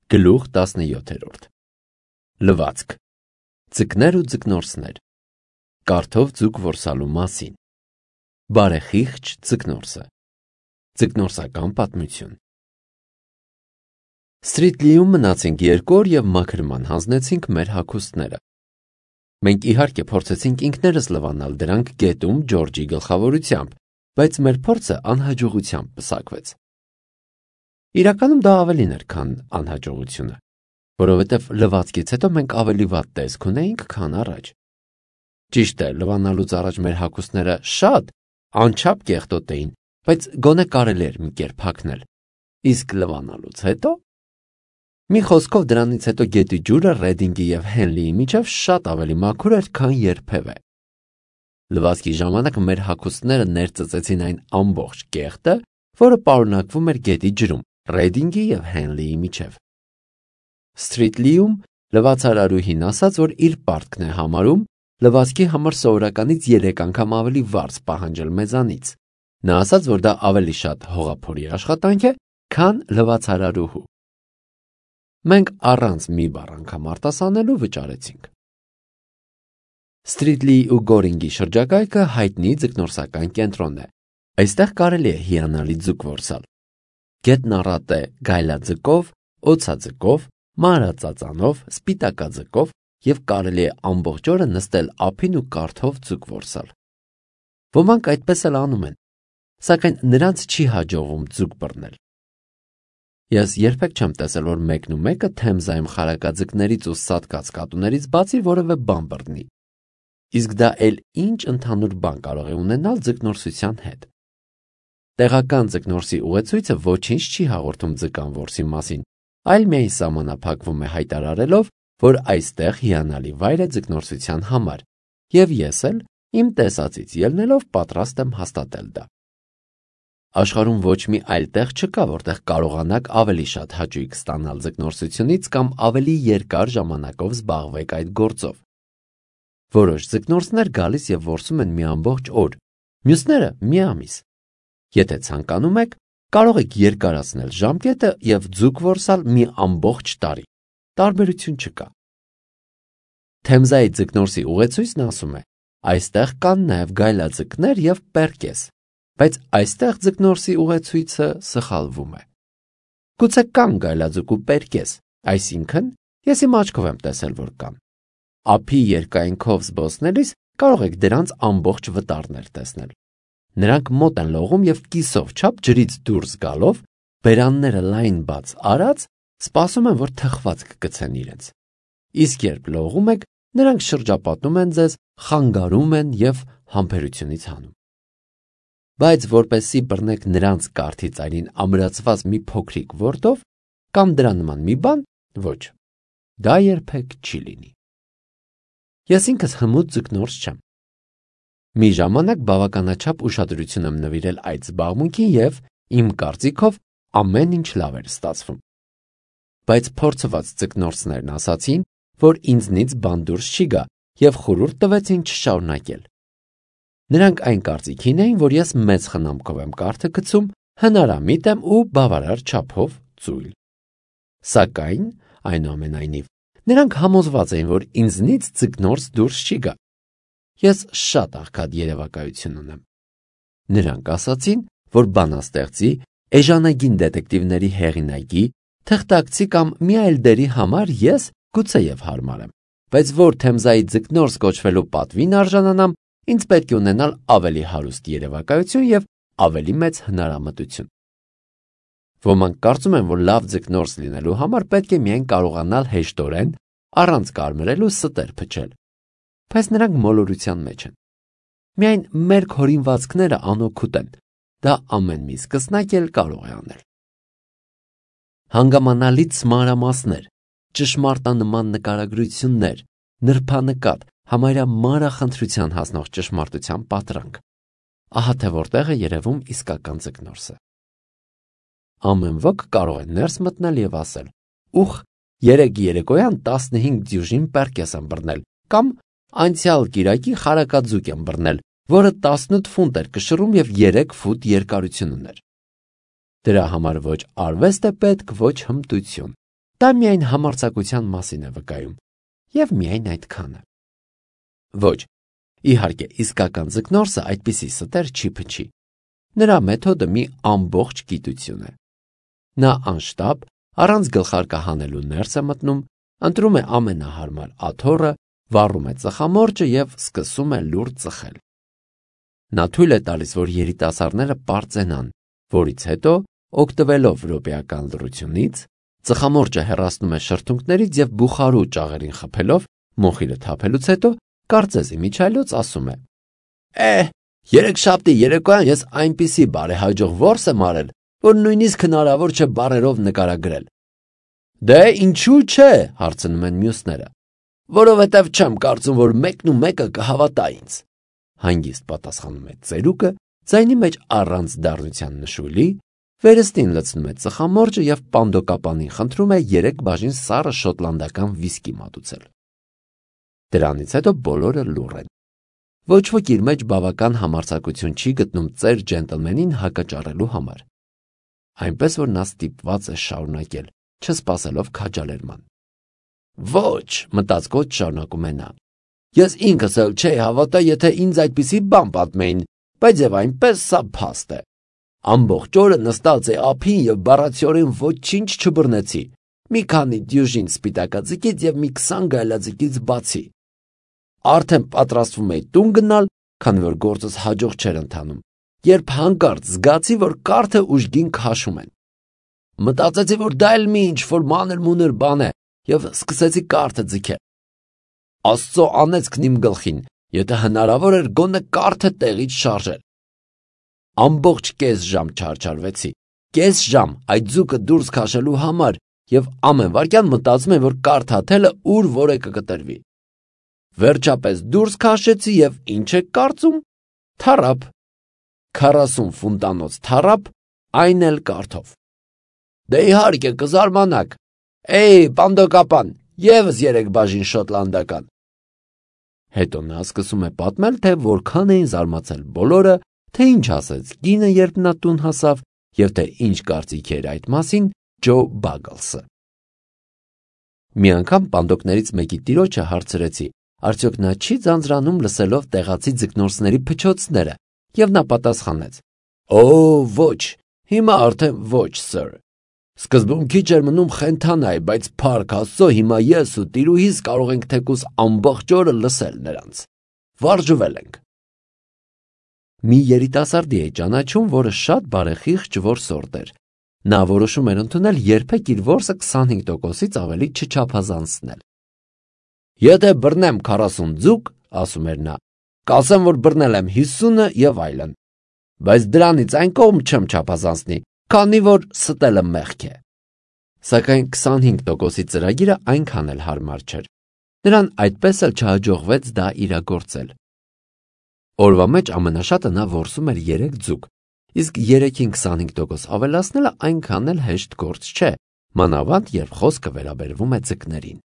Գլուխ 17 Լվացք Ձկներ ու ձկնորսներ Կարթով ձուկ որսալու մասին Բարեխիղճ ձկնորսը Ձկնորսական պատմություն Սթրիթլիում մնացինք 2 օր և մաքրման հանձնեցինք մեր հագուստները։ Մենք իհարկե փորձեցինք ինքներս լվանալ դրանք գետում Ջորջի գլխավորությամբ, բայց մեր փորձը անհաջողությամբ պսակվեց։ Իրականում դա ավելին էր, քան անհաջողությունը, որովհետև լվացքից հետո մենք ավելի վատ տեսք ունեինք, քան առաջ։ Ճիշտ է, լվանալուց առաջ մեր հագուստները շատ անչափ կեղտոտ էին, բայց գոնե կարելի էր մի կերպ հագնել, իսկ լվանալուց հետո… Մի խոսքով դրանից հետո գետի ջուրը Ռեդինգի և Հենլիի միջև շատ ավելի մաքուր էր, քան երբևէ։ Լվացքի ժամանակ մեր հագուստները ներծծեցին այն ամբողջ կեղտը, որը պարունակվում էր գետի ջրում, Ռեդինգի և Հենլիի միջև։ Սթրիթլիում լվացարարուհին ասաց, որ իր պարտքն է համարում լվացքի համար սովորականից 3 անգամ ավելի վարձ պահանջել մեզանից։ Նա ասաց, որ դա ավելի շատ հողափորի աշխատանք է, քան լվացարարուհու։ Մենք առանց մի բառ անգամ արտասանելու վճարեցինք։ Սթրիթլիի ու Գորինգի շրջակայքը հայտնի ձկնորսական կենտրոնն է։ Այստեղ կարելի է հիանալի ձուկ որսալ։ Գետն առատ է գայլաձկով, օձաձկով, մանրածածանով, սպիտակաձկով և կարելի է ամբողջ օրը նստել ափին ու կարթով ձուկ որսալ։ Ոմանք այդպես էլ անում են, սակայն նրանց չի հաջողվում ձուկ բռնել։ Ես երբեք չեմ տեսել, որ մեկն ու մեկը Թեմզայում խարակաձկներից ու սատկած կատուներից բացի որևէ բան բռնի։ Իսկ դա էլ ինչ ընդհանուր բան կարող է ունենալ ձկնորսության հետ։ Տեղական ձկնորսի ուղեցույցը ոչինչ չի հաղորդում ձկան որսի մասին, այլ միայն սահմանափակվում է հայտարարելով, որ այստեղ հիանալի վայր է ձկնորսության համար, և ես էլ իմ տեսածից ելնելով պատրաստ եմ հաստատել դա։ Աշխարհում ոչ մի այլ տեղ չկա, որտեղ կարողանաք ավելի շատ հաճույք ստանալ ձկնորսությունից կամ ավելի երկար ժամանակով զբաղվեք այդ գործով։ Որոշ ձկնորսներ գալիս և որսում են մի ամբողջ օր, մյուսները մի ամիս։ Եթե ցանկանում եք, կարող եք երկարացնել ժամկետը և ձուկ որսալ մի ամբողջ տարի։ Տարբերություն չկա։ Թեմզայի ձկնորսի ուղեցույցն ասում է. այստեղ կան նաև գայլաձկներ և պերկես, բայց այստեղ ձկնորսի ուղեցույցը սխալվում է։ Գուցե կան գայլաձկ ու պերկես, այսինքն ես իմ աչքով եմ տեսել, որ կան։ Ափի երկայնքով զբոսնելիս կարող եք դրանց ամբողջ վտարներ տեսնել։ Նրանք մոտ են լողում և կիսով չափ ջրից դուրս գալով, բերանները լայն բաց արած, սպասում են, որ թխված կգցեն իրենց։ Իսկ երբ լողում եք, նրանք շրջապատում են ձեզ, խանգարում են և համբերությունից հանում։ Բայց որպեսզի բռնեք նրանց կարթի ծայրին ամրացված մի փոքրիկ որդով կամ դրա նման մի բան, ոչ, դա երբեք չի լինի։ Ես ինքս հմուտ ձկնորս չեմ։ Մի ժամանակ բավականաչափ ուշադրություն եմ նվիրել այդ զբաղմունքին և, իմ կարծիքով, ամեն ինչ լավ էր ստացվում։ Բայց փորձված ձկնորսներն ասացին, որ ինձնից բան դուրս չի գա և խորհուրդ տվեցին չշարունակել։ Նրանք այն կարծիքին էին, որ ես մեծ խնամքով եմ կարթը գցում, հնարամիտ եմ ու բավարար չափով ծույլ։ Սակայն, այնուամենայնիվ, նրանք համոզված էին, որ ինձնից ձկնորս դուրս չի գա։ Ես շատ աղքատ երևակայություն ունեմ։ Նրանք ասացին, որ բանաստեղծի, էժանագին դետեկտիվների հեղինակի, թղթակցի կամ մի այլ դերի համար ես գուցեև հարմար եմ, բայց որ Թեմզայի ձկնորս կոչվելու պատվին արժանանամ, ինձ պետք է ունենալ ավելի հարուստ երևակայություն և ավելի մեծ հնարամտություն։ Ոմանք կարծում են, որ լավ ձկնորս լինելու համար պետք է միայն կարողանալ հեշտորեն, առանց կարմրելու ստեր փչել, բայց նրանք մոլորության մեջ են։ Միայն մեր հորինվածքները անօգուտ են, դա ամեն մի սկսնակ էլ կարող է անել։ Հանգամանալից մանրամասներ, ճշմարտանման նկարագրություններ, նրբանկատ, համարյա մանրախնդրության հասնող ճշմարտության պատրանք։ Ահա թե որտեղ է երևում իսկական ձկնորսը։ Ամեն ոք կարող է ներս մտնել և ասել. «Ուխ, երեկ երեկոյան 15 դյուժին պերկես եմ բռնել» կամ «Անցյալ կիրակի խարակաձուկ եմ բռնել, որը 18 ֆունտ էր կշռում և 3 ֆուտ երկարություն ուներ»։ Դրա համար ոչ արվեստ է պետք, ոչ հմտություն, Դա միայն համարձակության մասին է վկայում, և միայն այդքանը։ Ոչ, իհարկե, իսկական ձկնորսը այդպիսի ստեր չի փչի։ Նրա մեթոդը մի ամբողջ գիտություն է։ Նա անշտապ, առանց գլխարկը հանելու ներս է մտնում, ընտրում է ամենահարմար աթոռը, վառում է ծխամորճը և սկսում է լուր ծխել։ Նա թույլ է տալիս, որ երիտասարդները պարծենան, որից հետո, օգտվելով րոպեական լռությունից, ծխամորճը հեռացնում է շրթունքներից և բուխարու ճաղերին խփելով, մոխիրը թափելուց հետո, կարծես իմիջիայլոց ասում է. երեքշաբթի երեկոյան ես այնպիսի բարեհաջող որս եմ արել, որ նույնիսկ հնարավոր չէ բառերով նկարագրել։ Դե ինչու՞ չէ, հարցնում են մյուսները։ Որովհետև չեմ կարծում, որ մեկն ու մեկը կհավատա ինձ, հանգիստ պատասխանում է ծերուկը, ձայնի մեջ առանց դառնության նշույլի, վերստին լցնում է ծխամորճը և պանդոկապանին խնդրում է 3 բաժին սառը շոտլանդական վիսկի մատուցել։ Դրանից հետո բոլորը լուռ են։ Ոչ ոք իր մեջ բավական համարձակություն չի գտնում ծեր ջենտլմենին հակաճառելու համար, այնպես որ նա ստիպված է շարունակել, չսպասելով քաջալերման։ Ոչ, մտածկոտ շարունակում է նա, ես ինքս էլ չէի հավատա, եթե ինձ այդպիսի բան պատմեին, բայց և այնպես սա փաստ է։ Ամբողջ օրը նստած էի ափին և բառացիորեն ոչինչ չբռնեցի, մի քանի դյուժին սպիտակաձկից և մի 20 գայլաձկից բացի։ Արդեն պատրաստվում էի տուն գնալ, քանի որ գործս հաջող չէր ընթանում, երբ հանկարծ զգացի, որ կարթը ուժգին քաշում են։ Մտածեցի, որ դա էլ մի ինչ-որ մանր-մունր բան է և սկսեցի կարթը ձգել։ Աստծո անեծքն իմ գլխին, եթե հնարավոր էր գոնե կարթը տեղից շարժել։ Ամբողջ կես ժամ չարչարվեցի, կես ժամ այդ ձուկը դուրս քաշելու համար և ամեն վայրկյան մտածում եմ, որ կարթ հաթելը ուր որ է կկտրվի։ Վերջապես դուրս քաշեցի և ինչ եք կարծում, թառապ, 40 ֆունտանոց թառապ, այն էլ կարթով։ Դե իհարկե կզարմանաք, պանդոկապան, ևս 3 բաժին շոտլանդական։ Հետո նա սկսում է պատմել, թե որքան էին զարմացել բոլորը, թե ինչ ասեց կինը, երբ նա տուն հասավ, և թե ինչ կարծիք էր այդ մասին Ջո Բագլսը։ Մի անգամ պանդոկներից մեկի տիրոջը հարցրեցի, արդյոք նա չի ձանձրանում լսելով տեղացի ձկնորսների փչոցները, և նա պատասխանեց. ոչ, հիմա արդեն ոչ, սըր։ Սկզբում քիչ էր մնում խենթանայի, բայց փառք Աստծո, հիմա ես ու տիրուհիս կարող ենք թեկուզ ամբողջ օրը լսել նրանց։ Վարժվել ենք։ Մի երիտասարդի էի ճանաչում, որը շատ բարեխիղճ որսորդ էր։ Նա որոշում էր ընդունել երբեք իր որսը 25%-ից ավելի չչափազանցնել։ Եթե բռնեմ 40 ձուկ, ասում էր նա, կասեմ, որ բռնել եմ 50-ը և այլն, բայց դրանից այն կողմ չեմ չափազանցնի, քանի որ ստելը մեղք է։ Սակայն 25%-ի ծրագիրը այնքան էլ հարմար չէր։ Նրան այդպես էլ չհաջողվեց դա իրագործել։ Օրվա մեջ ամենաշատը նա որսում էր 3 ձուկ, իսկ 3-ին 25% ավելացնելը այնքան էլ հեշտ գործ չէ, մանավանդ երբ խոսքը վերաբերվում է ձկներին։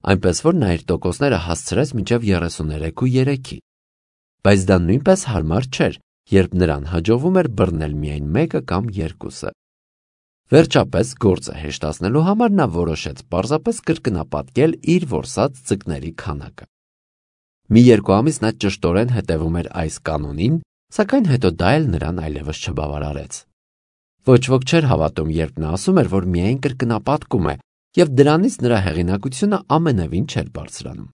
Այնպես որ նա իր տոկոսները հասցրեց մինչև 33.3-ի, բայց դա նույնպես հարմար չէր, երբ նրան հաջողվում էր բռնել միայն 1-ը կամ 2-ը։ Վերջապես գործը հեշտացնելու համար նա որոշեց պարզապես կրկնապատկել իր որսած ձկների քանակը։ Մի 2 ամիս նա ճշտորեն հետևում էր այս կանոնին, սակայն հետո դա էլ նրան այլևս չբավարարեց։ Ոչ ոք չէր հավատում, երբ նա ասում էր, որ միայն կրկնապատկում է, և դրանից նրա հեղինակությունը ամենևին չէր բարձրանում։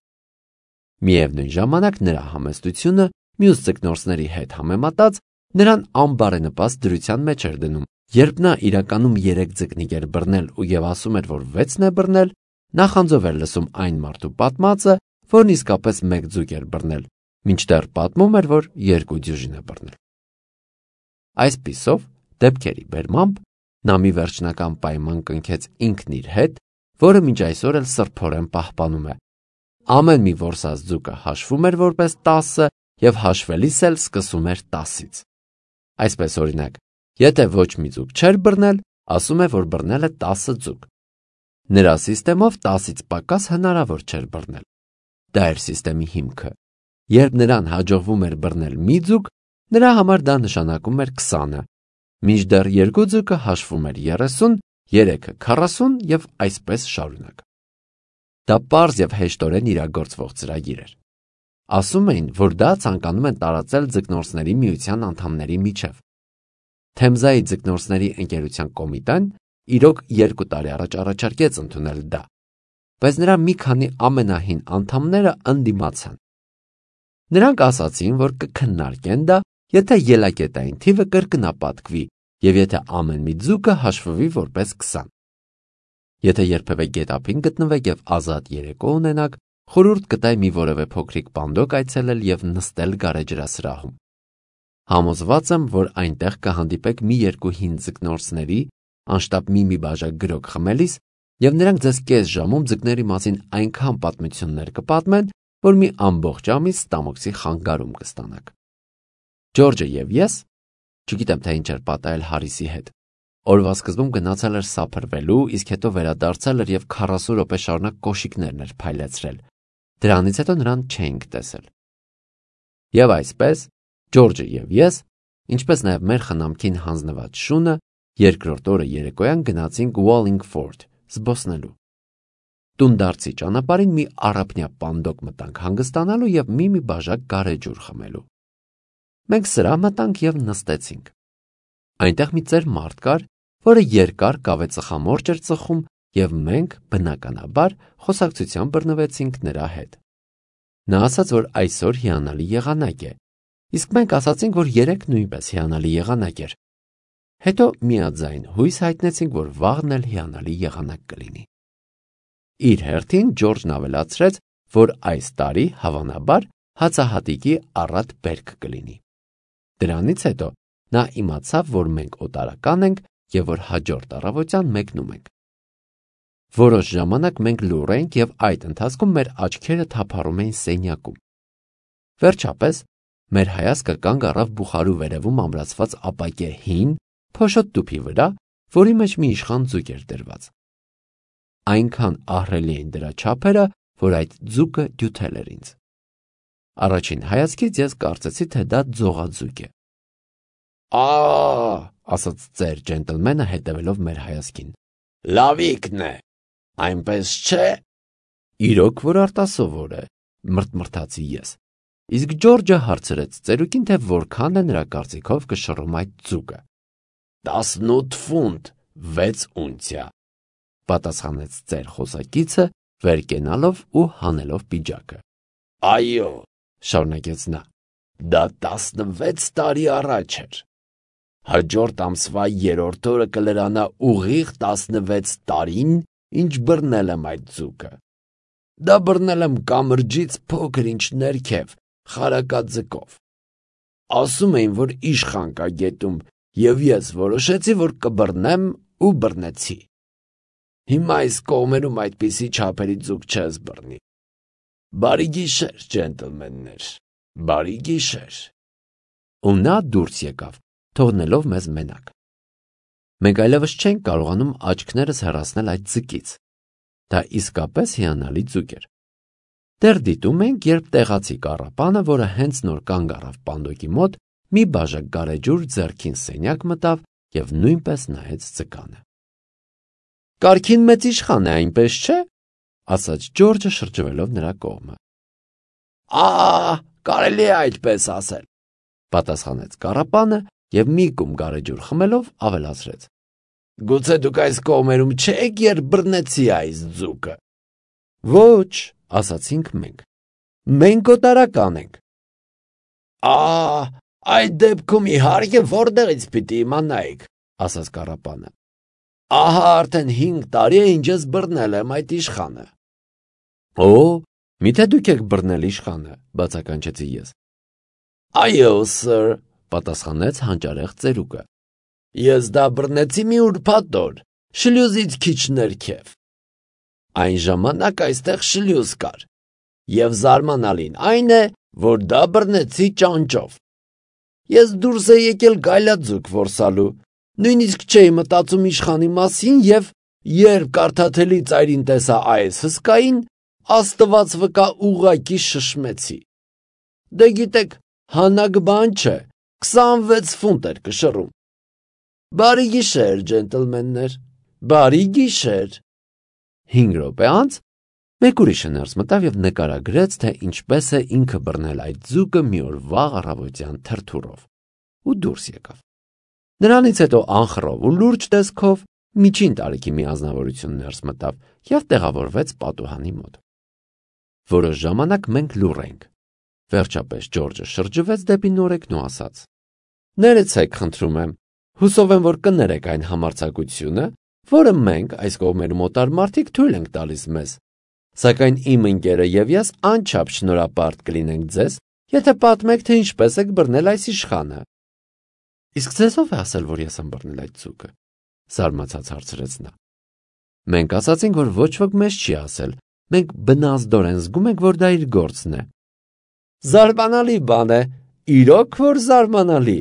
Միևնույն ժամանակ նրա համեստությունը մյուս ձկնորսների հետ համեմատած նրան անբարենպաստ դրության մեջ էր դնում, երբ նա իրականում 3 ձկնիկ էր բռնել և ասում էր, որ 6-ն է բռնել, նախանձով էր լսում այն մարդու պատմածը, որն իսկապես 1 ձուկ էր բռնել, մինչդեռ պատմում էր, որ 2 դյուժին է բռնել։ Այսպիսով, դեպքերի բերմամբ, նա մի վերջնական պայման կնքեց ինքն իր հետ, որը մինչ այսօր էլ սրբորեն պահպանում է։ Ամեն մի որսած ձուկը հաշվում էր որպես 10 և հաշվելիս էլ սկսում էր 10-ից։ Այսպես օրինակ, եթե ոչ մի ձուկ չէր բռնել, ասում է, որ բռնել է 10 ձուկ։ Նրա սիստեմով 10-ից պակաս հնարավոր չէր բռնել։ Դա էր սիստեմի հիմքը։ Երբ նրան հաջողվում էր բռնել մի ձուկ, նրա համար դա նշանակում էր 20-ը, մինչդեռ 2 ձուկը հաշվում էր 30 3-ը 40 և այսպես շարունակ։ Դա պարզ և հեշտորեն իրագործվող ծրագիր էր։ Ասում էին, որ դա ցանկանում են տարածել ձկնորսների միության անդամների միջև։ Թեմզայի ձկնորսների ընկերության կոմիտեն իրոք 2 տարի առաջ առաջարկեց ընդունել դա, բայց նրա մի քանի ամենահին անդամները ընդդիմացան։ Նրանք ասացին, որ կքննարկեն դա, եթե ելակետային թիվը կրկնապատկվի և եթե ամեն մի ձուկը հաշվվի որպես 20։ Եթե երբևէ գետափին գտնվեք և ազատ երեկո ունենաք, խորհուրդ կտայի մի որևէ փոքրիկ պանդոկ այցելել և նստել գարեջրասրահում։ Համոզված եմ, որ այնտեղ կհանդիպեք մի երկու հին ձկնորսների, անշտապ մի բաժակ գրոկ խմելիս, և նրանք ձեզ կես ժամում ձկների մասին այնքան պատմություններ կպատմեն, որ մի ամբողջ ամիս ստամոքսի խանգարում կստանաք։ Ջորջը և ես, չգիտեմ թե ինչ էր պատահել Հարիսի հետ, օրվա սկզբում գնացել էր սափրվելու, իսկ հետո վերադարձել էր և 40 րոպե շարունակ կոշիկներն էր փայլեցրել։ Դրանից հետո նրան չէինք տեսել։ Եվ այսպես, Ջորջը և ես, ինչպես նաև մեր խնամքին հանձնված շունը, երկրորդ օրը երեկոյան գնացինք Wallingford զբոսնելու։ Տունդարձի ճանապարհին մի առափնյա պանդոկ մտանք հանգստանալու և մի բաժակ գարեջուր խմելու։ Մենք սրահ մտանք և նստեցինք։ Այնտեղ մի ծեր մարդ կար, որը երկար կավե ծխամորճ էր ծխում, և մենք, բնականաբար, խոսակցության բռնվեցինք նրա հետ։ Նա ասաց, որ այսօր հիանալի եղանակ է, իսկ մենք ասացինք, որ երեկ նույնպես հիանալի եղանակ էր։ Հետո միաձայն հույս հայտնեցինք, որ վաղն էլ հիանալի եղանակ կլինի։ Իր հերթին Ջորջն ավելացրեց, որ այս տարի, հավանաբար, հացահատիկի առատ բերք կլինի։ Դրանից հետո նա իմացավ, որ մենք օտարական ենք և որ հաջորդ առավոտյան մեկնում ենք։ Որոշ ժամանակ մենք լուռ էինք և այդ ընթացքում մեր աչքերը թափառում էին սենյակում։ Վերջապես մեր հայացքը կանգ առավ բուխարու վերևում ամրացված ապակե հին, փոշոտ տուփի վրա, որի մեջ մի իշխան ձուկ էր դրված։ Այնքան ահռելի էին դրա չափերը, որ այդ ձուկը դյութել էր ինձ։ Առաջին հայացքից ես կարծեցի, թե դա ձողաձուկ է։ Ասաց ծեր ջենտլմենը հետևելով մեր հայացքին։ Լավիկն է, այնպես չէ։ Իրոք որ արտասովոր է, մրթմրթացի ես։ Իսկ Ջորջը հարցրեց ծերուկին, թե որքան է նրա կարծիքով կշռում այդ ձուկը։ 18 ֆունտ 6 ունցիա, պատասխանեց ծեր խոսակիցը, վեր կենալով ու հանելով պիջակը։ Այո, շարունակեց նա, դա 16 տարի առաջ էր։ Հաջորդ ամսվա 3-րդ օրը կլրանա ուղիղ 16 տարին, ինչ բռնել եմ այդ ձուկը։ Դա բռնել եմ կամրջից փոքր ինչ ներքև, խարակաձկով։ Ասում էին, որ իշխան կա գետում, և ես որոշեցի, որ կբռնեմ ու բռնեցի։ Հիմա այս կողմերում այդպիսի չափերի ձուկ չես բռնի։ Բարի գիշեր, ջենտլմեններ, բարի գիշեր։ Ու նա դուրս եկավ, թողնելով մեզ մենակ։ Մենք այլևս չենք կարողանում աչքներս հեռացնել այդ ձկից։ Դա իսկապես հիանալի ձուկ էր։ Դեռ դիտում ենք, երբ տեղացի կառապանը, որը հենց նոր կանգ առավ պանդոկի մոտ, մի բաժակ գարեջուր ձեռքին սենյակ մտավ և նույնպես նայեց ձկանը։ Կարգին մեծ իշխան է, այնպես չէ, ասաց Ջորջը շրջվելով նրա կողմը։ Կարելի է այդպես ասել, պատասխանեց կառապանը և մի կում գարեջուր խմելով ավելացրեց. Գուցե դուք այս կողմերում չեք, երբ բռնեցի այս ձուկը։ Ոչ, ասացինք մենք։ Մենք օտարական ենք։ Այդ դեպքում իհարկե որտեղից պիտի իմանայիք, ասաց կառապանը։ Ահա արդեն 5 տարի է, ինչ ես բռնել եմ այդ իշխանը։ Միթե դուք եք բռնել իշխանը, բացականչեցի ես։ Այո, սըր, պատասխանեց հանճարեղ ծերուկը։ Ես դա բռնեցի մի ուրբաթ օր, շլյուզից քիչ ներքև։ Այն ժամանակ այստեղ շլյուզ կար, և զարմանալին այն է, որ դա բռնեցի ճանճով։ Ես դուրս էի եկել գայլաձուկ որսալու, նույնիսկ չէի մտածում իշխանի մասին և երբ կարդաթելի ծայրին տեսա այս հսկային, Աստված վկա ուղղակի շշմեցի։ Դե գիտեք, հանաք բան չէ, 26 ֆունտ էր կշռում։ Բարի գիշեր, ջենտլմեններ, Բարի գիշեր։ 5 րոպե անց մեկ ուրիշը ներս մտավ և նկարագրեց, թե ինչպես է ինքը բռնել այդ ձուկը մի օր վաղ առավոտյան թրթուրով ու դուրս եկավ։ Նրանից հետո անխռով ու լուրջ տեսքով միջին տարիքի մի ազնվորություն ներս մտավ և տեղավորվեց պատուհանի մոտ։ Որոշ ժամանակ մենք լուռ էինք։ Վերջապես Ջորջը շրջվեց դեպի նորեկն ու ասաց. «Ներեցեք, խնդրում եմ, հուսով եմ, որ կներեք այն համարձակությունը, որը մենք այս կողմերում օտար մարդիկ թույլ ենք տալիս մեզ, սակայն իմ ընկերը և ես անչափ շնորհապարտ կլինենք ձեզ, եթե պատմեք, թե ինչպես եք բռնել այս իշխանը»։ Իսկ ձեզ ով է ասել, որ ես եմ բռնել այդ ձուկը, զարմացած հարցրեց նա։ Մենք ասացինք, որ ոչ ոք մեզ չի ասել, մենք բնազդորեն զգում ենք, որ դա իր գործն է։ Զարմանալի բան է, իրոք որ զարմանալի,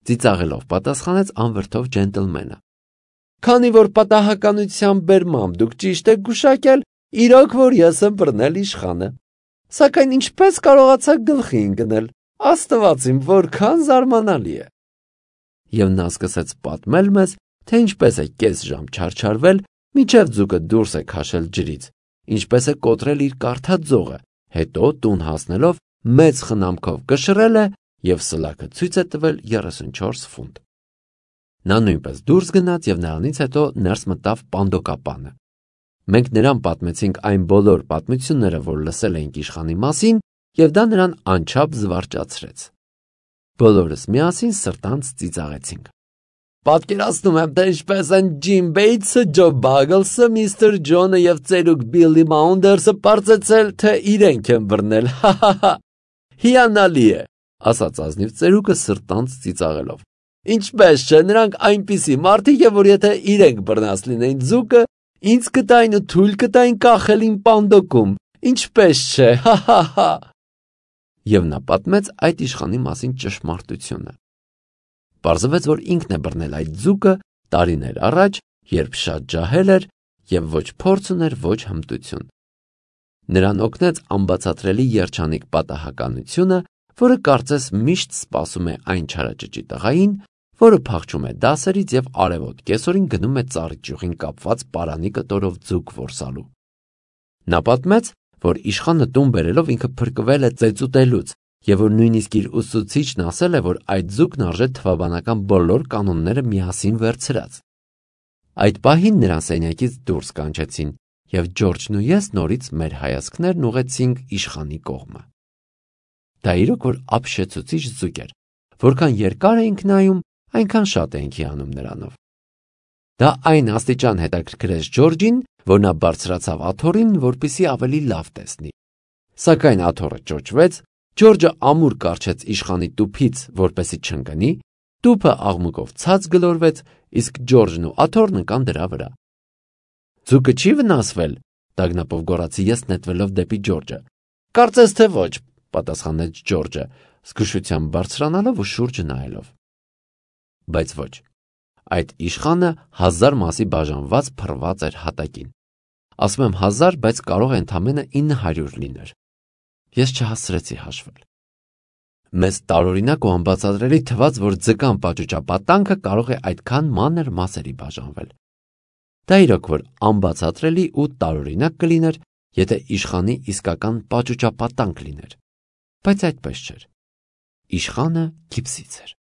ծիծաղելով պատասխանեց անվրդով ջենտլմենը։ Քանի որ պատահականության բերմամբ դուք ճիշտ եք գուշակել, իրոք որ ես եմ բռնել իշխանը։ Սակայն ինչպես կարողացաք գլխի ընկնել, Աստված իմ, որքան զարմանալի է։ Եվ նա սկսեց պատմել մեզ, թե ինչպես է կես ժամ չարչարվել, մինչև ձուկը դուրս է քաշել ջրից, ինչպես է կոտրել իր կարդաց ձողը, հետո տուն հասնելով մեծ խնամքով կշռել է և սլաքը ցույց է տվել 34 ֆունտ։ Նա նույնպես դուրս գնաց և նրանից հետո ներս մտավ պանդոկապանը։ Մենք նրան պատմեցինք այն բոլոր պատմությունները, որ լսել էինք իշխանի մասին, և դա նրան անչափ զվարճացրեց։ Բոլորս միասին սրտանց ծիծաղեցինք։ Պատկերացնում եմ, թե ինչպես են Ջիմ Բեյթսը, Ջո Բագլսը, Միստր Ջոնը և ծերուկ Բիլլի Մաունդերսը պարզեցել, թե իրենք են բռնել, հա։ Հիանալի է, ասաց ազնիվ ծերուկը սրտանց ծիծաղելով։ Ինչպես չէ, նրանք այնպիսի մարդիկ են, որ եթե իրենք բռնած լինեին ձուկը, ինձ կտային ու թույլ կտային կախել իմ պանդոկում, ինչպես չէ, հա։ Եվ նա պատմեց այդ իշխանի մասին ճշմարտությունը։ Պարզվեց, որ ինքն է բռնել այդ ձուկը տարիներ առաջ, երբ շատ ջահել էր և ոչ փորձ ուներ, ոչ հմտություն։ Նրան օգնեց անբացատրելի երջանիկ պատահականությունը, որը կարծես միշտ սպասում է այն չարաճճի տղային, որը փախչում է դասերից և արևոտ կեսօրին գնում է ծառի ճյուղին կապված պարանի կտորով ձուկ որսալու։ Նա պատմեց, որ իշխանը տուն բերելով ինքը փրկվել է ծեծուտելուց և որ նույնիսկ իր ուսուցիչն ասել է, որ այդ ձուկն արժե թվաբանական բոլոր կանոնները միասին վերցրած։ Այդ պահին նրան սենյակից դուրս կանչեցին և Ջորջն ու ես նորից մեր հայացքներն ուղղեցինք իշխանի կողմը։ Դա իրոք որ ապշեցուցիչ ձուկ էր, որքան երկար էինք նայում, այնքան շատ էինք հիանում նրանով։ Դա այն աստիճան հետաքրքրեց Ջորջին, որ նա բարձրացավ աթոռին, որպեսզի ավելի լավ տեսնի։ Սակայն աթոռը ճոճվեց, Ջորջը ամուր կառչեց իշխանի տուփից, որպեսզի չընկնի, տուփը աղմուկով ցած գլորվեց, իսկ Ջորջն ու աթոռն ընկան դրա վրա։ Ձուկը չի վնասվել, տագնապով գոռացի ես նետվելով դեպի Ջորջը։ Կարծես թե ոչ, պատասխանեց Ջորջը, զգուշությամբ բարձրանալով ու շուրջը նայելով։ Բայց ոչ, այդ իշխանը 1000 մասի բաժանված փռված էր հատակին։ Ասում եմ 1000, բայց կարող է ընդամենը 900 լիներ։ Ես չհասցրեցի հաշվել։ Մեզ տարօրինակ ու անբացատրելի թվաց, որ ձկան պաճուճապատանքը կարող է այդքան մանր մասերի բաժանվել։ Դա իրոք որ անբացատրելի ու տարօրինակ կլիներ, եթե իշխանի իսկական պաճուճապատանք լիներ, բայց այդպես չէր։ Իշխանը գիպսից էր։